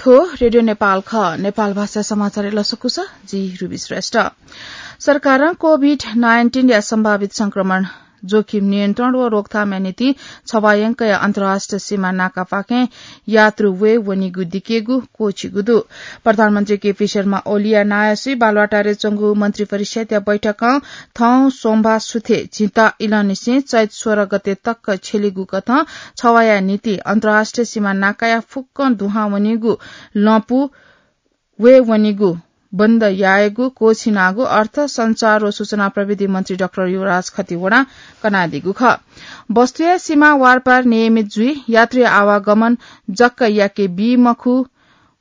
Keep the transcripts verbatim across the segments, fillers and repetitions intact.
थ्व रेडियो नेपाल खः। नेपाल भाषा समाचार लसकुस, जि रुबी श्रेष्ठ। सरकारं कोभिड नाइन्टिन या सम्भावित संक्रमण जोखिम नियन्त्रण व रोकथामया निंतिं छवायंकया अन्तर्राष्ट्रिय सीमा नाकापाखें यात्रु वये वनीगु दिकेगु क्वःछिगु दु। प्रधानमन्त्री केपी शर्मा ओलीया नायःसुइ बालुवाटारय् च्वंगु मन्त्री परिषद्या बैठकं थौं सोमबार सुथय् झिंता इलंनिसें चैत सोह्र गते तक छ्यलीगु कथं छवाया निंतिं अन्तर्राष्ट्रिय सीमा नाकाया फुक्कं दुहां वनीगु लँपु वये वनीगु बन्द यायेगु क्वःछिनागु अर्थ, सञ्चार व सूचना प्रविधि मन्त्री डाक्टर युवराज खतिवडां कनादीगु खः। वस्तुया सीमा वारपार नियमित जुइ, यात्री आवागमन जक्क याके बी मखु।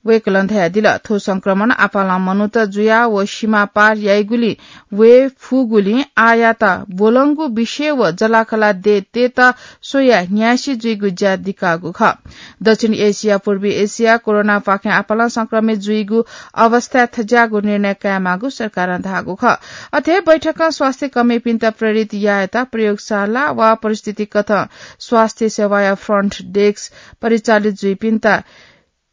वय्कलं धयादिल, थ्व संक्रमण आपालं मनूत जुयाः व सीमा पार याइगुलिं वये फुगुलिं आःयात ब्वलंगु विषय व जलाखला दयेत स्वयाः न्यासि जुइगु ज्या दिकाःगु खः। दक्षिण एसिया, पूर्वी एसिया कोरोनापाखें आपालं संक्रमित जुइगु अवस्थाय् थज्याःगु निर्णय कायेमाःगु सरकारं धाःगु खः। अथे बैठकं स्वास्थ्य कर्मीपिन्त प्रेरित यायेत प्रयोगशाला वा परिस्थिति कथं स्वास्थ्य सेवाया फ्रन्ट डेस्क परिचालित जुइपिन्त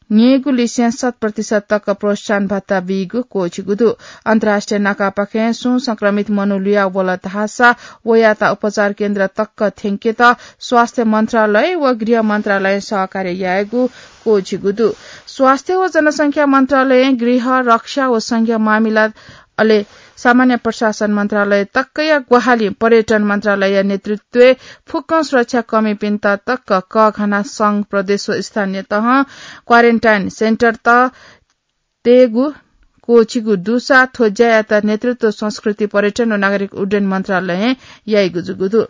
न्ययेगु लिसें शत प्रतिशत तक प्रोत्साहन भत्ता बीगु क्वःछिगु दु। अन्तर्राष्ट्रिय नाकापाखें सुं संक्रमित मनू लुया वल धाःसा वयात उपचार केन्द्र तक थ्यंकेत स्वास्थ्य मन्त्रालय व गृह मन्त्रालयं सहकार्य यायेगु क्वःछिगु दु। स्वास्थ्य व जनसंख्या मन्त्रालयं गृह, रक्षा व संघीय मामिला अले सामान्य प्रशासन मन्त्रालय तकया ग्वाहालिं पर्यटन मन्त्रालयया नेतृत्वय् फुक्कं सुरक्षा कर्मीपिन्त तक कःघाना संघ, प्रदेश व स्थानीय तहं क्वारेन्टाइन सेन्टरत तयेगु क्वःछिगु दुसा थ्व ज्यायात नेतृत्व संस्कृति, पर्यटन व नागरिक उड्डयन मन्त्रालयं याइगु जूगु दु।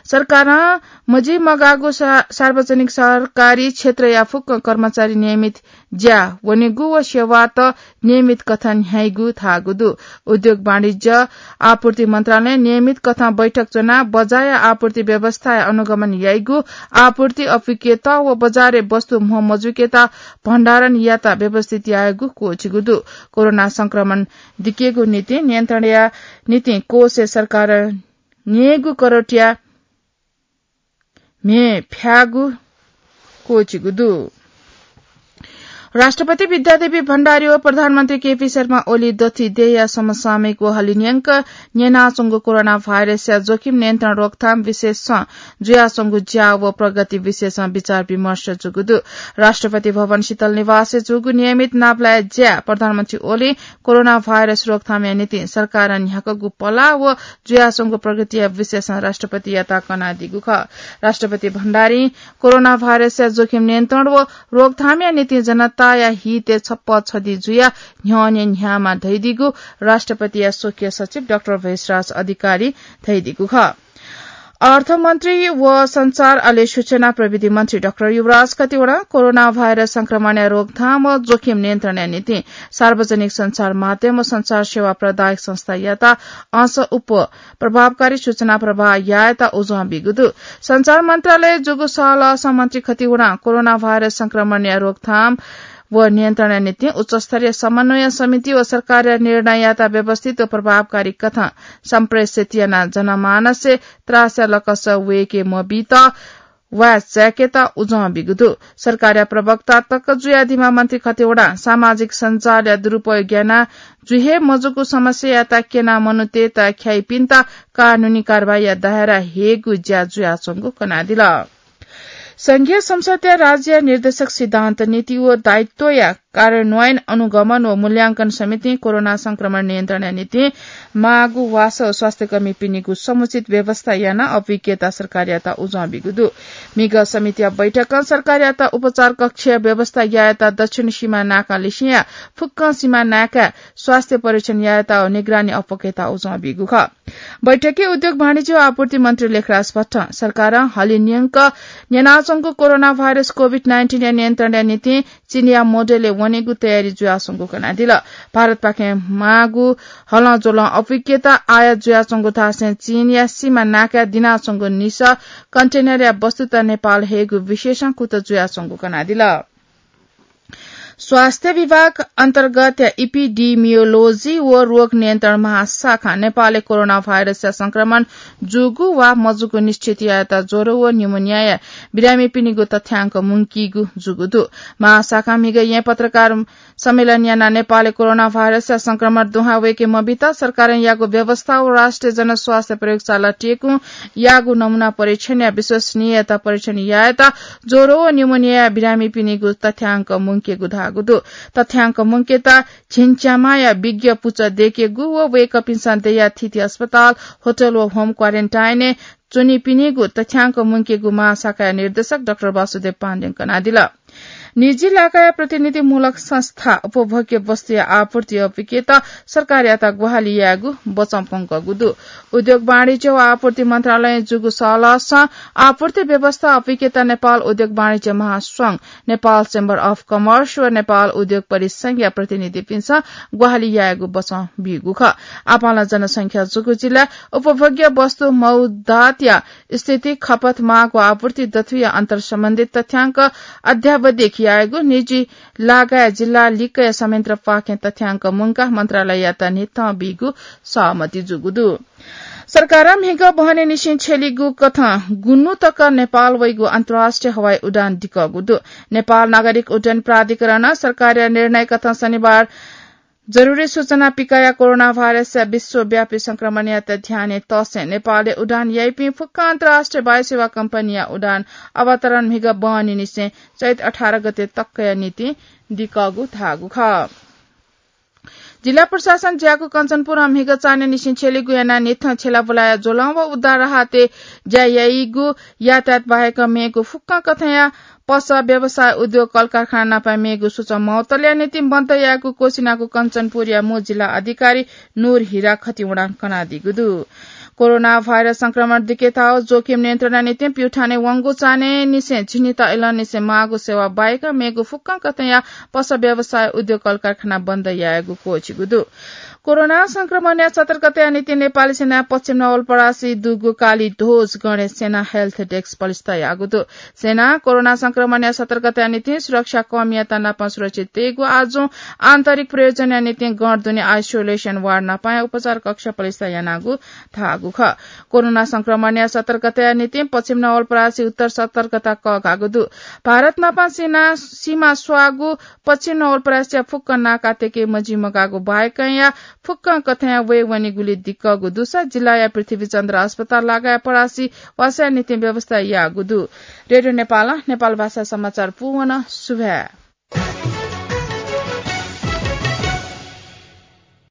सरकारं मजिमगाःगु सा-, सार्वजनिक सरकारी क्षेत्रया फुक्क कर्मचारी नियमित ज्या वनेगु व सेवात नियमित कथं न्ह्याइगु धाःगु दु। उद्योग वाणिज्य आपूर्ति मन्त्रालयं नियमित कथं बैठक च्वनाः बजारया आपूर्ति व्यवस्थाया अनुगमन याइगु, आपूर्ति अपुगेत व बजारय् वस्तु म्हो मजुइकेत भण्डारण यात व्यवस्थित यायेगु क्वःछिगु दु। कोरोना संक्रमण दिकेगु निंतिं नियन्त्रणया निंतिं कोषय् सरकारं न्ययेगु करोडया म्ये फ्याःगु क्वःछिगु दु। राष्ट्रपति विद्यादेवी भण्डारी व प्रधानमन्त्री केपी शर्मा ओली दथुइ देय्‌या समसामयिक व हलिंन्यंक न्यनाच्वंगु कोरोना भाइरसया जोखिम नियन्त्रण रोकथाम विशेषं जुयाच्वंगु ज्या व प्रगति विषयसं विचार विमर्श जूगु दु। राष्ट्रपति भवन शीतल निवासय् जूगु नियमित नापलाये ज्याय् प्रधानमन्त्री ओलीं कोरोना भाइरस रोकथामया निंतिं सरकारं न्ह्याकूगु पलाः व जुयाच्वंगु प्रगतिया विषयसं राष्ट्रपतियात कनादीगु खः। राष्ट्रपति भण्डारीं कोरोना भाइरसया जोखिम नियन्त्रण व रोकथामया निंतिं जनताया हितय् छप्पँ छधी जुयाः न्ह्यःने न्ह्याःमा धयादीगु राष्ट्रपतिया स्वकीय सचिव डाक्टर भेषराज अधिकारीं धयादीगु खः। अर्थमन्त्री व सञ्चार अले सूचना प्रविधि मन्त्री डाक्टर युवराज खतिवडां कोरोना भाइरस संक्रमणया रोकथाम व जोखिम नियन्त्रणया निंतिं सार्वजनिक सञ्चार माध्यम व सञ्चार सेवा प्रदायक संस्थायात अंश उप प्रभावकारी सूचना प्रवाह यायेत उजं बीगु दु। सञ्चार मन्त्रालयय् जूगु सहलहसं मन्त्री खतिवडां कोरोना भाइरस संक्रमणया रोकथाम व नियन्त्रणया निंतिं उच्चस्तरीय समन्वय समिति व सरकारया निर्णययात व्यवस्थित व प्रभावकारी कथं सम्प्रेषित यानाः जनमानसय् त्रासया लकस वय्‌के मबीत वाये चाय्‌केत उजं बीगु दु। सरकारया प्रवक्ता तक जुयादीम्ह मन्त्री खतिवडां सामाजिक सञ्जालया दुरुपयोग यानाः जुइ हे मजूगु समस्यायात क्यनाः मनूतय्‌त ख्याइपिन्त कानूनी कारवाहीया दायरा हयेगु ज्या जुयाच्वंगु कनादिल। संघीय संसदया राज्य निर्देशक सिद्धान्त, नीति व दायित्वया कार्यान्वयन, अनुगमन व मूल्यांकन समितिं कोरोना संक्रमण नियन्त्रणया निंतिं माःगु वासः व स्वास्थ्यकर्मीपिनिगु समुचित व्यवस्था यानाः अभिज्ञता सरकारयात उजं बीगु दु। म्हिगः समितिया बैठकं सरकारयात उपचार कक्षया व्यवस्था यायेत दक्षिण सीमा नाका लिसेंया फुक्कं सीमा नाकाय् स्वास्थ्य परीक्षण यायेत व निगरानी अप्वकेत उजं बीगु खः। बैठकय् उद्योग वाणिज्य व आपूर्ति मन्त्री लेखराज भट्टं सरकारं हलिंन्यंक न्यनाच्वंगु कोरोना भाइरस कोभिड नाइन्टिनया नियन्त्रणया निंतिं चीनया मोडेलय् वनेगु तयारी जुयाच्वंगु कनादिल। भारतपाखें माःगु हलंज्वलं अप्वकेत आयात जुयाच्वंगु धासें चीनया सीमा नाकाय् दिनाच्वंगु निसः कन्टेनरया वस्तुत नेपाल हयेगु विषयसं कुतः जुयाच्वंगु कनादिल। स्वास्थ्य विभाग अन्तर्गत इपिडिमियोलोजी व रोग नियन्त्रण महाशाखा नेपालय् कोरोना भाइरसया संक्रमण जूगु वा मजूगु निश्चित यायेत ज्वरो व निमोनियाया बिरामीपिनिगु तथ्याङ्क मुंकीगु जूगु दु। महाशाखा म्हिगः येँ पत्रकार सम्मेलन यानाः नेपालय् कोरोना भाइरसया संक्रमण दुहां वय्के मबित सरकारं याःगु व्यवस्था व राष्ट्रिय जनस्वास्थ्य प्रयोगशाला टेकुं याःगु नमूना परीक्षणया विश्वसनीयता परीक्षण यायेत ज्वरो व निमोनियाया बिरामीपिनिगु तथ्याङ्क मुंकेगु धाःगु दु। तथ्याङ्क मुंकेत झिंच्यामाया विज्ञ पुचः दय्केगु व वय्कःपिन्सं दयाः थीथी अस्पताल, होटल व होम क्वारेन्टाइनय् च्वनीपिनिगु तथ्याङ्क मुंकेगु महाशाखाया निर्देशक डाक्टर वासुदेव पाण्डें कनादिल। निजी लागाया प्रतिनिधिमूलक संस्था उपभोग्य वस्तुया आपूर्ति अपिकेत सरकारयात ग्वाहालि यायेगु बचं प्वंकःगु दु। उद्योग वाणिज्य व आपूर्ति मन्त्रालयं जूगु सहलहसं आपूर्ति व्यवस्था अपिकेत नेपाल उद्योग वाणिज्य महासंघ, नेपाल चेम्बर अफ कमर्स व नेपाल उद्योग परिसंघया प्रतिनिधिपिन्सं ग्वाहालि यायेगु बचं बीगु खः। आपालं जनसंख्या जूगु जिल्ला, उपभोग्य वस्तु मौदातया स्थिति, खपत, माग व आपूर्ति दथुया अन्तर्सम्बन्धित तथ्याङ्क अद्यावधिक यायेगु निजी लागाया जिल्ला लिक्कया संयन्त्रपाखें तथ्याङ्क मुंकाः मन्त्रालययात न्हिथं बीगु सहमति जूगु दु। सरकारं म्हिगः बहनीनिसें छ्यलीगु कथं गुन्हु तक नेपाल वइगु अन्तर्राष्ट्रिय हवाई उडान दिकःगु दु। नेपाल नागरिक उड्डयन प्राधिकरणं सरकारया निर्णय कथं शनिबार जरुरी सूचना पिकयाः कोरोना भाइरसया विश्वव्यापी संक्रमणयात ध्यानय् तःसें नेपालय् उडान याइपिं फुक्क अन्तर्राष्ट्रिय वायुसेवा कम्पनीया उडान अवतरण म्हिगः बहनीनिसें चैत अठार गते तकया निंतिं दिकःगु धाःगु खः। जिल्ला प्रशासन ज्याकू कञ्चनपुरं म्हिगः चान्हय्निसें छ्यलीगु यानाः न्हिथं छ्यलाबुलाया ज्वलं व उद्धार राहतय् ज्या याइगु यातायात बाहेक मेगु फुक्कं कथंया पसः, व्यवसाय, उद्योग, कलकारखाना नापं मेगु सूचं मौतलया निंतिं बन्द यायेगु क्वःछिनागु कञ्चनपुरया मू जिल्ला अधिकारी नूर हिरा खतिवडां कनादीगु दु। कोरोना भाइरस संक्रमण दिकेथाःगु जोखिम नियन्त्रणया निंतिं प्युठानय् वंगु चान्हय्निसें झिंनिदँ इलंनिसें माःगु सेवा बाहेक मेगु फुक्कं कथंया पसः, व्यवसाय, उद्योग, कलकारखाना बन्द यायेगु क्वःछिगु दु। कोरोना संक्रमणया सतर्कताया निंतिं नेपाली सेनां पश्चिम नवलपरासी दुगु कालीध्वज गणेश सेना हेल्थ डेस्क पलिस्था याःगु दु। सेनां कोरोना संक्रमणया सतर्कताया निंतिं सुरक्षा कर्मीयात नापं सुरक्षित तयेगु आजुं आन्तरिक प्रयोजनया निंतिं गण दुने आइसोलेसन वार्ड नापं उपचार कक्ष पलिस्था यानागु धाःगु खः। कोरोना संक्रमणया सतर्कताया निंतिं पश्चिम नवलपरासी उत्तर सतर्कता कःघाःगु दु। भारत नापं सीमा स्वाःगु पश्चिम नवलपरासीया फुक्क नाकातय्के मजिमगाःगु बाहेकया फुक्कं कथंया वये वनीगुली दिकःगु दुसा जिल्लाया पृथ्वीचन्द्र अस्पताल लागाया परासी वासःया निंतिं व्यवस्था याःगु दु। रेडियो नेपालं नेपाल भाषा समाचार पूवन। सुभाय्।